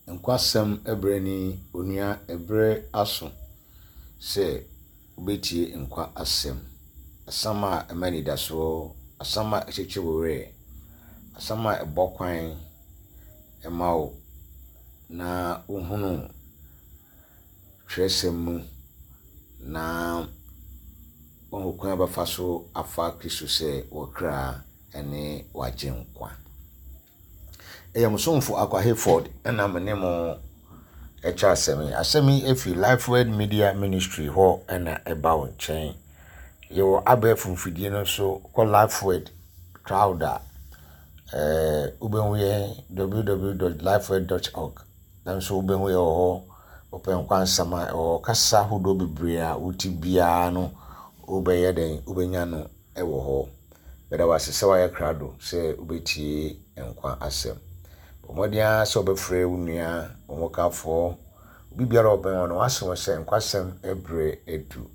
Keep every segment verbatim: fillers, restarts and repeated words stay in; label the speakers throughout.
Speaker 1: Nkwasɛm berɛ ni, onua ɛberɛ aso sɛ wobɛtie nkwa asɛm. Asɛm a ɛma anidasoɔ, asɛm a ɛkyekye wo werɛ, asɛm a ɛbɔ kwan ma wo na wohunu twerɛsɛm mu na woahu kwan a wobɛfa so afa Kristo sɛ wo kra ne w'agyenkwa. Ɛyɛ mo somfo Akwa Hayford ɛna me ne mo ɛkyɛ asɛm yi. Asɛm yi efi Lifeword Media Ministry hɔ ɛna ɛba wo nkyɛn. Yɛwɔ abɛɛfo mfidie no so kɔ Lifeword Cloud a ɛɛ wobɛhu yɛn www.lifeword.org nanso wobɛhu yɛn wɔ hɔ. Wopɛ nkwansɛm a ɛwɔ kasa ahodoɔ bebree a wote biara no wobɛyɛ dɛn wobɛnya no ɛwɔ hɔ. Meda wo ase sɛ woayɛ krado sɛ wobɛtie nkwa asɛm. Bɔ mmɔden ara sɛ wobɛfrɛ wo nua, wo hokafoɔ, obi biara a ɔbɛn wo no wasɛ wo sɛ nkwasɛm ɛberɛ adu.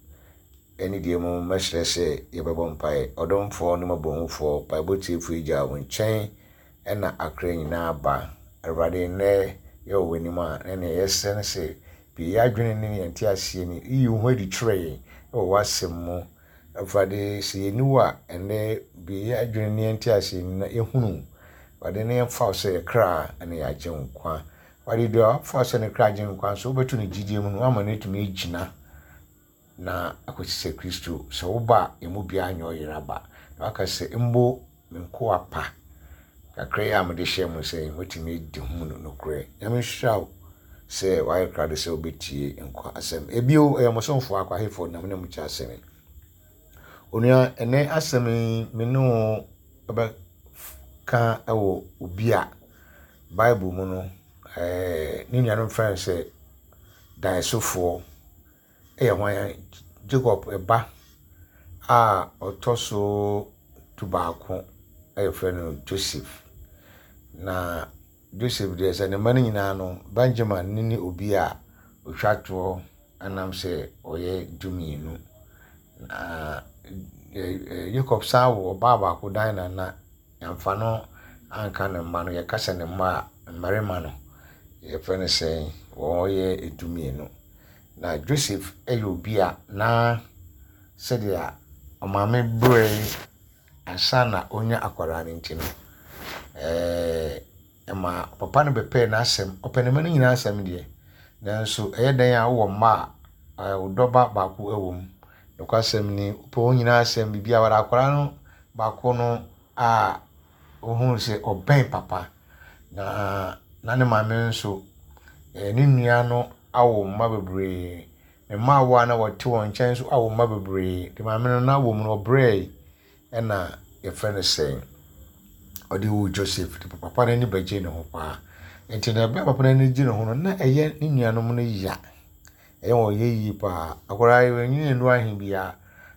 Speaker 1: Ɛne deɛ mu mɛsrɛ sɛ yɛbɛbɔ mpaeɛ. Ɔdomfoɔ ne mmɔborɔhufoɔ, mpaebɔ tiefoɔ agya wo nkyɛn ɛna akra nyinaa ba. Awurade nnɛ yɛwɔ w'anim a na nea yɛsrɛ ne sɛ bue yɛn adwene ne yɛn nteaseɛ ni yiyi wo ho adi kyerɛ yɛn ɛwɔ w'asɛm mu. Awurade sɛ yɛnni wo a ɛnnɛ bue yɛn adwene ne yɛn nteaseɛ ni na yɛhunu wo. Awurade ne yɛmfa wo sɛ yɛ kra ne yɛn agyenkwa. Awurade deɛ wafa wo sɛ ne kra agyenkwa nso wobɛto no gyidie mu no woama no atumi agyina na akɔsi sɛ Kristo sɛ woba a emu biara nyɛ ɔyera ba. Na waka sɛ mbo me nkoa pa kakra yi a mede hyɛ mo sɛ motumi di ho no nokorɛ. Nyame nhyira wo sɛ wayɛ krado sɛ wobɛtie nkwa asɛm. Ebio ɛyɛ mo somfo Akwa Hayford na me ne mo kyɛ asɛm yi. Onua ɛnɛ asɛm yi me ne wo bɛka ɛwɔ obi a Bible mu no ɛɛ ne nuanom frɛ no sɛ daeɛsofoɔ ɛyɛ hwan Jacob ɛba a ɔtɔ so du baako a yɛfrɛ no Joseph. Na Joseph deɛ sɛ ne mma no nyinaa no Benjamin ne ne obi a otwa toɔ ɛnam sɛ ɔyɛ du mmienu. Na Jacob san wɔ ɔbaa baako Dinah na yɛamfa no anka ne mma no yɛka sɛ ne mma a mmarima no yɛfrɛ no sɛ wɔyɛ du mmienu. Na Joseph yɛ obi a na sɛdeɛ ɔmaame brɛ ansa na ɔnya akwadaa no nti no ɛɛ ɛma papa no bɛpɛɛ n'asɛm. Ɔpɛ ne mma no nyinaa asɛm deɛ nanso ɛyɛ dan a wowɔ mma a wo dɔba baako wɔ mu. Nokwasɛm ni wopɛ wɔn nyinaa asɛm biribiara akwadaa no baako no a ohuu sɛ ɔbɛn papa na na ne maame nso ne nua no awo mma bebree. Ne mmaawa a na wɔte wɔn nkyɛn nso awo mma bebree. Nti maame no n'awo mu no ɔbrɛe ɛna yɛfrɛ no sɛ ɔde woo Joseph. Nti papa no ani bɛgye ne ho paa. Nti na ɛberɛ a papa no ani gye ne ho no na ɛyɛ ne nuanom no ya. Ɛyɛ wɔn yɛ yie paa. Akwadaa yi wanyini nnuru ahe biara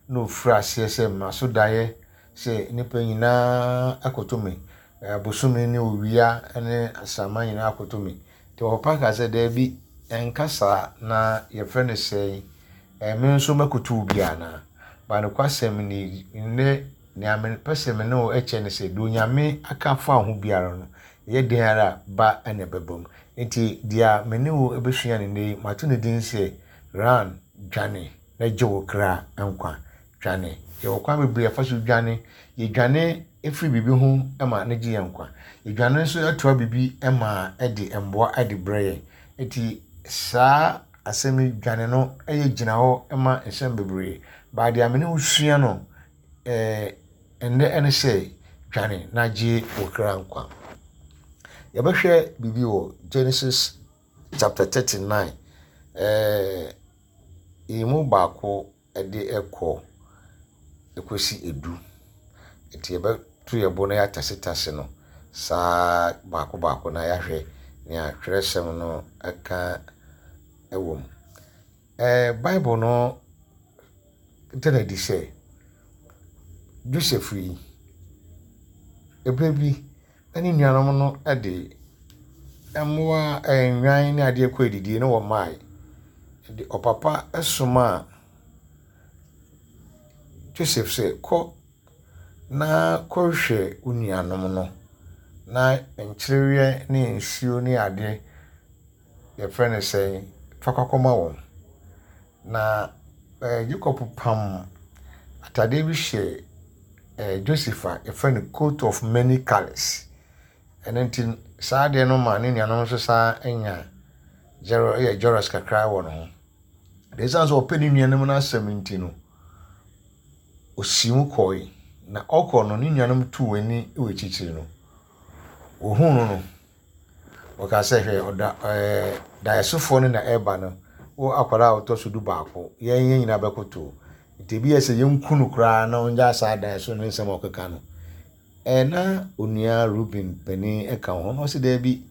Speaker 1: na ofiri aseɛ sɛ mmaso daeɛ sɛ nnipa nyinaa akoto me. Bosome ne owia ne asaman nyinaa akoto me. Nti papa ka sɛ daabi ɛnka saa na yɛfrɛ no sɛ me nso mɛkoto wo bi anaa. Ba nokwasɛm ni nnɛ nea mepɛ sɛ me ne wo kyɛ ne sɛ deɛ Onyame aka afa wo ho biara no ɛyɛ den ara ba ɛna ɛbɛba mu. Nti deɛ me ne wo bɛsua no nnɛ yi mato ne din sɛ run dwane na gye wo kra nkwa. Dwane. Yɛwɔ kwan bebree a yɛfa so dwane. Yɛdwane firi biribi ho ma no gye yɛn nkwa. Yɛdwane nso toa biribi ma ɛde mmoa de brɛ yɛn. Nti saa asɛm yi dwane no yɛ gyina hɔ ma nsɛm bebree. But deɛ me ne wo sua no ɛɛ ɛnnɛ ɛne sɛ dwane na gye wo kra nkwa. Yɛbɛhwɛ biribi wɔ Genesis chapter thirty nine. Ɛɛ emu baako ɛde ɛkɔ ɛkɔsi edu. Nti yɛbɛto yɛn bo na yɛatasetase no saa baako baako na yɛahwɛ nea twerɛsɛm no ɛka ɛwɔ mu. Ɛɛ Bible no da no adi sɛ Joseph yi, ɛberɛ bi na ne nuanom no de mmoa nnwan ne adeɛ kɔ adidie na wɔmmaeɛ. Nti ɔpapa somaa Joseph sɛ kɔ na kɔhwehwɛ wo nuanom no na nkyereɛ ne nsuo ne adeɛ yɛfrɛ no sɛn, fa kɔkɔma wɔn. Na ɛɛ Jacob pam atadeɛ bi hyɛ ɛɛ Joseph a yɛfrɛ no coat of many colours. Ɛno nti saa adeɛ no ma ne nuanom nso saa nya jealous yɛ jealous kakra wɔ ne ho. Na ɛsiane sɛ ɔpɛ ne nuanom no asɛm nti no, osii mu kɔe. Na ɔkɔ no, ne nuanom tuu wɔn ani wɔ akyirikyiri no, wɔhuu no no, wɔkaa sɛ, hwɛ, ɔda ɛɛ daeɛsofoɔ no na ɛreba no. Wo akwadaa a ɔtɔ so du baako, yɛn yɛn nyinaa bɛkoto. Nti ebi yɛ sɛ yɛnku no koraa na ɔngyaa saa daeɛso ne nsɛm a ɔkeka no. Ɛɛ na onua Reuben panin ka ho na ɔsi daabi,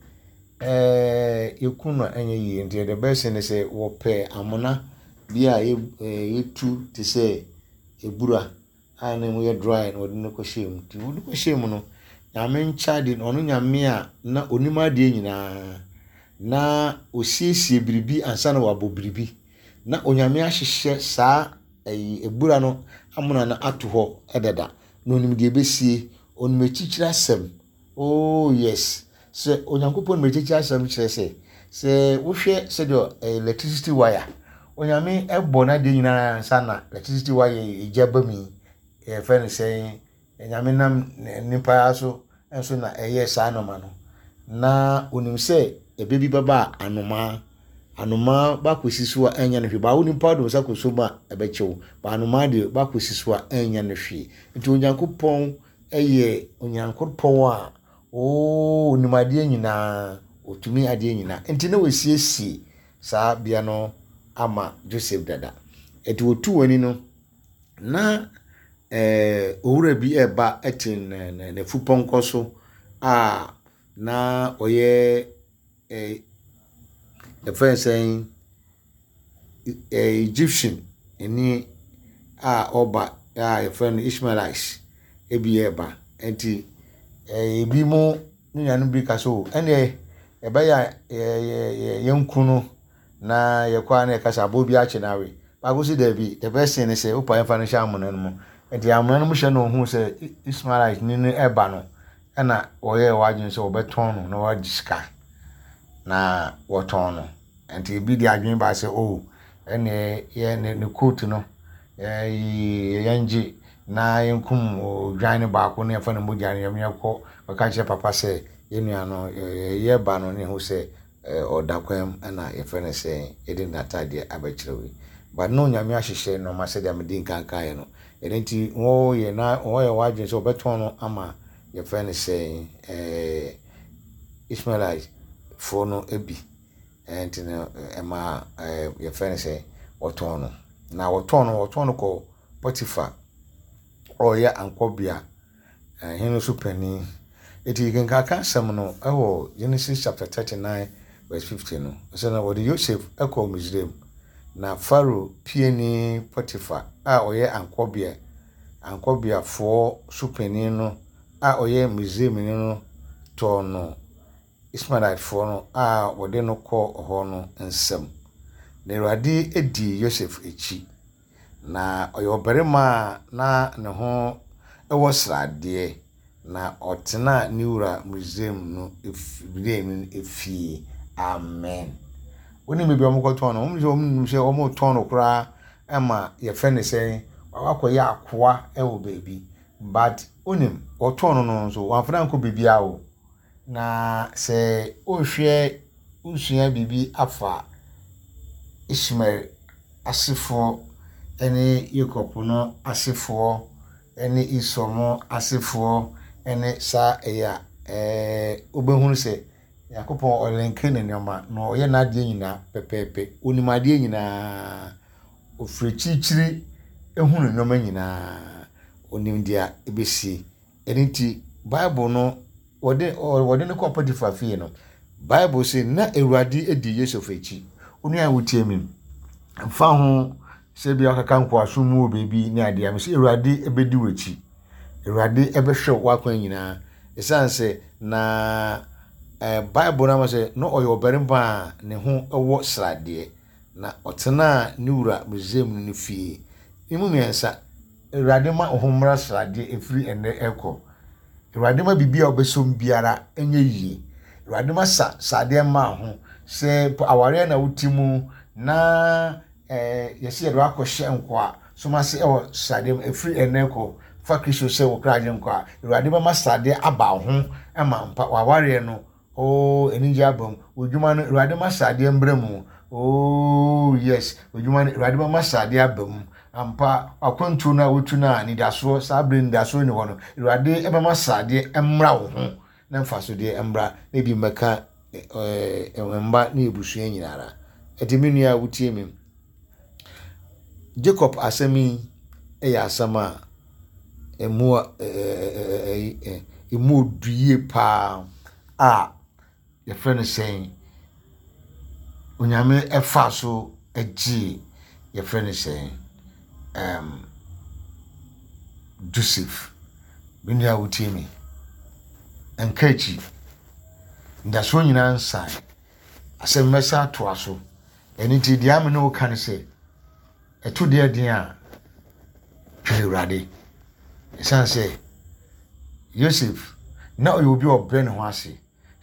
Speaker 1: ɛɛ yɛku no a ɛnyɛ yie. Nti the best thing ne sɛ wɔpɛ amona bi a yɛtu te sɛ ebura a ne mu yɛ dry na wɔde no kɔhyɛ mu. Nti wɔde kɔhyɛ mu no, Nyame nkyɛ ade no, ɔno Nyame a na onim adeɛ nyinaa na osiesie biribi ansa na wabɔ biribi. Na Onyame ahyehyɛ saa ɛyi ebura no amona no ato hɔ dada. Na onim deɛ ebesie, onim akyikyiri asɛm. Oh yes, sɛ Onyankopɔn nim akyikyiri asɛm kyerɛ sɛ, sɛ wohwɛ sɛdeɛ electricity wire, Onyame ɛbɔ n'adeɛ nyinaa ansa na electricity wire egya ba mu yi, yɛfrɛ no sɛn, Nyame nam nipa so nso na ɛyɛ saa nneɛma no. Na onim sɛ ɛbɛ bi bɛba a anomaa, anomaa bakɔsi so a ɛnyɛ no hwee. Baa wo nipa de wo nsa kɔ mu a ɛbɛkye wo. Ba anomaa deɛ bakɔsi so a ɛnyɛ no hwee. Nti Onyankopɔn ɛyɛ Onyankopɔn a oo onim adeɛ nyinaa, otumi adeɛ nyinaa. Nti na wasiesie saa bea no ama Joseph dada. Nti wɔtu wɔn ani no, na ɛɛ owura bi ɛreba ɛte n'afupɔnkɔ so a na ɔyɛ ɛɛ yɛfrɛ no sɛn, ɛɛ Egyptian ni a ɔreba a yɛfrɛ no Ishmaelites ebi ɛreba. Nti ɛɛ ebi mo ne nuanom bi ka sɛ o ɛnneɛ ɛbɛyɛ a yɛ yɛnku no na yɛkɔ a na yɛka sɛ aboa bi akye no awe. Baako si daabi, the best thing ne sɛ wopa yɛmfa no hyɛ amona no mu. Nti amona no mu hyɛ no ohuu sɛ Ishmaelite ni no ɛreba no, ɛna wɔyɛɛ wɔn adwene sɛ wɔbɛtɔn no na wɔagye sika. Na wɔtɔn no. Nti ebi de adwene baa sɛ o ɛnneɛ yɛ ne ne coat no ɛɛ yɛngye na yɛnkum odwan no baako na yɛmfa ne mogya no yɛnkɔ kɔka kyerɛ papa sɛ yɛn nua no yɛreba no ne ho sɛ ɔda kwan mu ɛna yɛfrɛ no sɛ yɛde n'atadeɛ abɛkyerɛ wo. But na Onyame ahyehyɛ nneɛma sɛdeɛ mede nkan kaeɛ no. Ɛno nti wɔyɛ na wɔyɛ wɔn adwene sɛ wɔbɛtɔn no ama yɛfrɛ no sɛ ɛɛ Ishmaelite foɔ no bi. Ɛnti no ɛma ɛɛ yɛfrɛ no sɛ wɔtɔn no. Na wɔtɔn no wɔtɔn no kɔ Potiphar a ɔyɛ ankɔbea hene so panin. Eti kenkan asɛm no ɛwɔ Genesis chapter thirty nine verse fifty no. Ɔsɛ na wɔde Joseph ɛkɔɔ Misraim. Na Pharaoh piani Potiphar a ɔyɛ ankɔbea ankɔbeafoɔ so panin no a ɔyɛ Misraimni no tɔɔ no Ishmaelitefoɔ no a wɔde no kɔɔ hɔ no nsam. Na Awurade dii Yosef akyi. Na ɔyɛ ɔbarima a na ne ho wɔ sradeɛ. Na ɔtenaa ne wura Misraim no Misraim no fie. Amen. Wonim baabi a wɔkɔtɔn no? Wɔn sɛ wɔnim sɛ wɔretɔn no koraa ama yɛfrɛ no sɛ wakɔyɛ akoa wɔ baabi. But wonim, wɔtɔn no no nso, wɔamfa no ankɔ baabiara o. Na sɛ wohwɛ wosua biribi afa Ishmael asefoɔ ne Jacob no asefoɔ ne Esau mo asefoɔ ne saa ɛyɛ a ɛɛ wobɛhunu sɛ Nyankopɔn ɔlenke ne nneɛma na ɔyɛ n'adeɛ nyinaa pɛpɛɛpɛ. Onim adeɛ nyinaa. Ofiri akyirikyiri ehunu nneɛma nyinaa. Onim deɛ ɛbɛsie. Ɛno nti Bible no wɔde wɔde no kɔɔ Potiphar fie no, Bible sɛ na Awurade di Yosef akyi. Onua a wotie mi, mfa ho sɛ bi akaka nkoasom mu wɔ baabi ne adeɛ a, sɛ Awurade bɛdi w'akyi. Awurade bɛhwɛ w'akwan nyinaa. Ɛsiane sɛ na ɛɛ Bible no ama sɛ na ɔyɛ ɔbarima a ne ho wɔ sradeɛ. Na ɔtenaa ne wura Misraim no fie. Emu mmiɛnsa, Awurade ma wo ho mmra sradeɛ ɛfiri ɛnnɛ ɛkɔ. Awurade ma biribi a wobɛsom biara nyɛ yie. Awurade ma sa sradeɛ mma wo ho. Sɛ awareɛ na wote mu na ɛɛ yɛsi yɛde wakɔhyɛ nkoa som ase ɛwɔ sradeɛ mu, ɛfiri ɛnɛ kɔ fa Kristo sɛ wo kra agyenkwa a, Awurade bɛma sradeɛ aba wo ho ma mpa w'awareɛ no. Oh, anigye aba mu. W'adwuma no, Awurade ma sradeɛ mbra mu. Oh yes, w'adwuma no, Awurade bɛma sradeɛ aba mu. Ampa, akwantuo no a wotu no a anidasoɔ, saa bere anidasoɔ ni hɔ no, Awurade bɛma sradeɛ mmra wo ho na mfasodeɛ mmra na ebi mmɛka ɛɛ mma ne abusua nyinara. Ɛti me nua a wotie mi, Jacob asɛm yi yɛ asɛm a emu ɛɛ emu odu yie paa a yɛfrɛ no sɛn, Onyame ɛfa so gyee yɛfrɛ no sɛn, um, Joseph. Me nua a wotie mi, nka akyi, ndasoɔ nyinaa nsan, asɛm mɛsa atoa so. Ɛno nti deɛ ame ne wo ka ne sɛ, ɛto deɛ den a, twɛn Awurade. Ɛsiane sɛ Yosef na ɔyɛ obi a ɔbrɛ ne ho ase.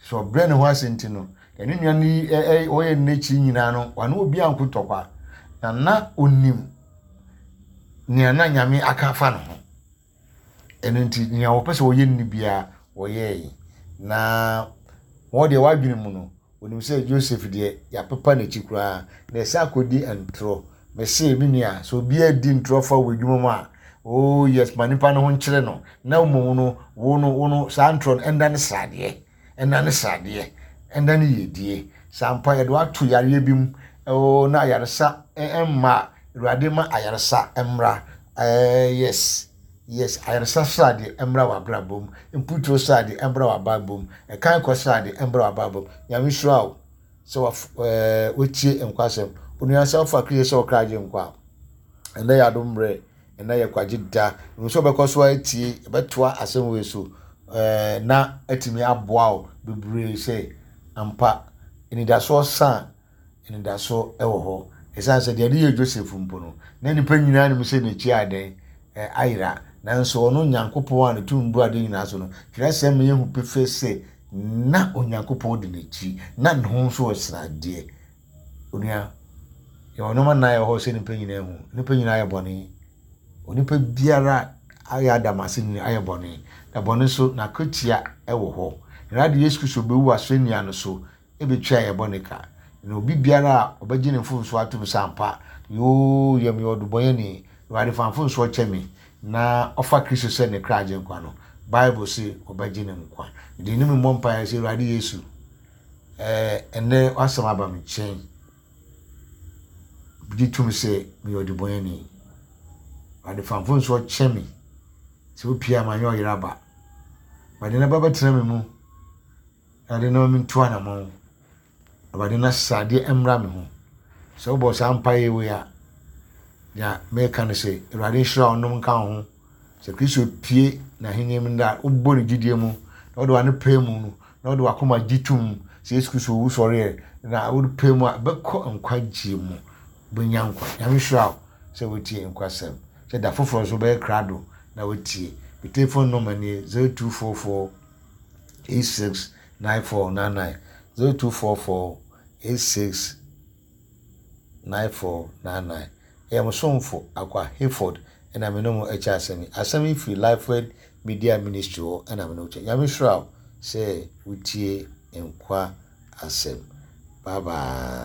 Speaker 1: Sɛ ɔbrɛ ne ho ase nti no, ɛne nua no yi ɛ ɔyɛ n'akyi nyinaa no, ɔne obi anko tɔkwa. Na na onim nea na Nyame aka afa ne ho. Ɛno nti nea wɔpɛ sɛ wɔyɛ no biara wɔyɛe. Na wɔn deɛ wadwene mu no, onim sɛ Joseph deɛ yɛapepa n'akyi koraa na ɛsɛ akɔdi ntorɔ. Mese me nua, sɛ obiara di ntorɔ fa wɔ adwuma mu a, oh yes, ma nipa no ho nkyerɛ no. Na mmom no, wo no, wo no, saa ntorɔ no ɛnda ne sradeɛ, ɛnda ne sradeɛ, ɛnda ne yiedie. Sɛ ampa yɛde wato yareɛ bi mu, oh, na ayaresa ɛmma, Awurade ma ayaresa mmra. Eh, yes. Yes, ayaresa sradeɛ mmra w'abrabɔ mu. Mputuo sradeɛ mmra w'abrabɔ mu. Ɛkan kɔ sradeɛ mmra w'abrabɔ mu. Nyame hyira wo sɛ waf ɛɛ wotie nkwasɛm. Onua sɛ wofa Kristo sɛ ɔkra agye nkwa a, ɛnnɛ yɛ adom mmerɛ, ɛnnɛ yɛ kwagye da. Ɛmu sɛ wobɛkɔ so atie, ɛbɛtoa asɛm wei so ɛɛ na atumi aboa wo bebree sɛ ampa anidasoɔ sa a, anidasoɔ ɛwɔ hɔ. Ɛsiane sɛ deɛ ɛde yɛ Joseph mpo no, na nnipa nyinaa nim sɛ n'akyi adan ayera. Nanso ɔno Nyankopɔn a ne tumi bu ade nyinaa so no, twerɛsɛm ma yɛhu pefee sɛ na Onyankopɔn di n'akyi, na ne ho nso wɔ sradeɛ. Onua, yɛwɔ nneɛma nnan a ɛwɔ hɔ sɛ nnipa nyinaa hu. Nnipa nyinaa ayɛ bɔne. Onipa biara ayɛ Adam ase nyinaa ayɛ bɔne. Na bɔne nso, n'akatua wɔ hɔ. Awurade Yesu Kristo bɛwu asɛnnua no so ebɛtua yɛ bɔne ka. Na obi biara a ɔbɛgye ne mfomsoɔ atom sɛ ampa, yoo, yɛ meyɛ ɔdebɔneyɛni, Awurade fa mfomsoɔ kyɛ me, na ɔfa Kristo sɛ ne kra agyenkwa no, Bible se ɔbɛgye ne nkwa. Mede ne mmɔ mpaeɛ sɛ Awurade Yesu, ɛɛ ɛnnɛ w'asɛm aba me nkyɛn. Gye tom sɛ meyɛ ɔdebɔneyɛni. Awurade fa mfomsoɔ kyɛ me. Sɛ wopie a manyɛ ɔyere aba. Awurade na ba bɛtena me mu. Awurade na mentu anammɔn. Awurade na sradeɛ mmra me ho. Sɛ wobɔ saa mpaeɛ wei a, nea meka no sɛ Awurade nhyira wo nom nka wo ho. Sɛ Kristo pie n'ahenni mu da, wobɔ ne gyidie mu, na wode w'ano pɛ mu no, na wode w'akoma gye tom sɛ Yesu Kristo owu sɔreɛ, na wode pɛ mu a, bɛkɔ nkwagyeɛ mu, wobɛnya nkwa. Nyame hyira wo sɛ wotie nkwasɛm. Sɛ da foforɔ nso wobɛyɛ krado na wotie. Me telephone number nie zero two four four eight six nine four nine nine zero two four four eight six nine four nine nine. Ɛyɛ mo somfo Akwa Hayford ɛna me ne mo ɛkyɛ asɛm yi. Asɛm yi firi Lifeword Media Ministry hɔ ɛna me ne wo kyɛ. Nyame hyira wo sɛ wotie nkwa asɛm. Bye bye.